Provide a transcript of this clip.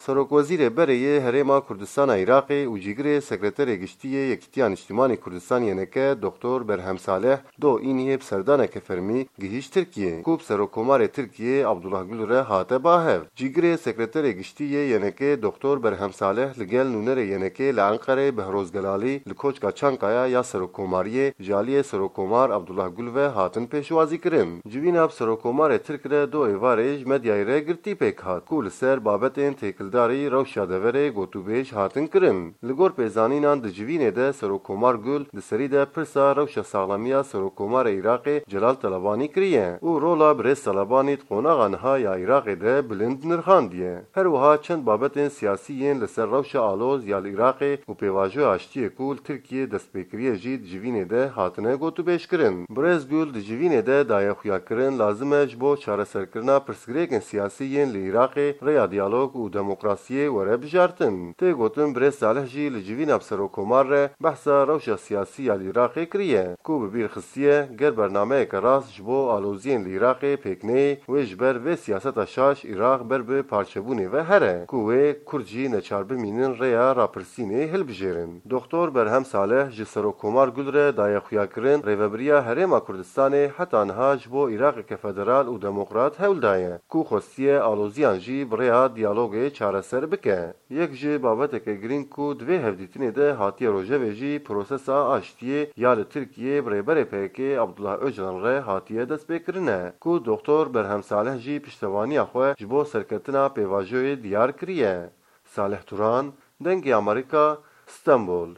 Serokwezîrê berê yê Herêma Kurdistana Iraqê û Cîgirê Sekreterê Giştî yê Yekîtiya Niştimanî Kurdistan YNK Doktor Berhem Salih do îniyê bi serdaneke fermî gihîşt Tirkiyê ku bi Serokkomarê Tirkiyê Abdullah Gul re hate ba hev. Cîgirê Sekreterê Giştî yê YNKê Doktor Berhem Salih li gel nûnerê YNKê li Enqerê Behroz Gelalî li Koçka Çankaya ya Serokkomariyê ji aliyê Serokkomar Abdullah Gul ve hatin pêşwazîkirin. Civîna bi Serokkomarê Tirk re do êvarê ji medyayê re girtî pêk hat ku li ser babetên têkildarî rewşa deverê gotûbêj hatin kirin. Li gor pêzanînan di civînê de Serokkomar Gul di serî de pirsa rewşa saxlemiya Serokkomarê Iraqê Celal Talebanî kiriye û rola birêz Talebanî di qonaxa niha ya Iraqê de bilind nirxandiye. Her wiha çend babetên siyasî yên li ser rewşa aloz ya li Iraqê û pêvajoya aştiyê ku li Tirkiyê destpêkiriye jî di civînê de hatine gotûbêjkirin. Birêz Gul di civînê de daye xuyakirin lazim e ji bo çareserkirina pirsgirêkên siyasî yên li Iraqê rêya diyalog û demokrasiyê were bijartin. Tê gotin Birêz Salih jî li civîna bi Serokkomar re behsa rewşa siyasî ya li Iraqê kiriye ku bi bîr xistiye ger bernameyeke rast ji bo aloziyên li Iraqê pêk neyê wê ji ber vê siyaseta şaş Iraq ber bi parçebûnê ve here ku wê Kurd jî neçar bimînin rêya rapirsînê hilbijêrin. Doktor Berhem Salih ji Serokkomar Gul re daye xuyakirin Rêveberiya Herêma Kurdistanê heta niha ji bo Iraqeke federal û demokrat hewl daye ku xwestiye aloziyan jî bi rêya diyalogê çareser bike. Yek ji babeteke girîng ku di vê hevdîtinê de hatiye rojevê jî prosesa aştiyê ya li Tirkiyê bi Rêberê PKK'ê Abdullah Öcalan re hatiye destpêkirin e ku Doktor Berhem Salih jî piştevaniya xwe ji bo serketina pêvajoyê diyar kiriye. Salih Turan, Dengê Amerîka, Stenbol.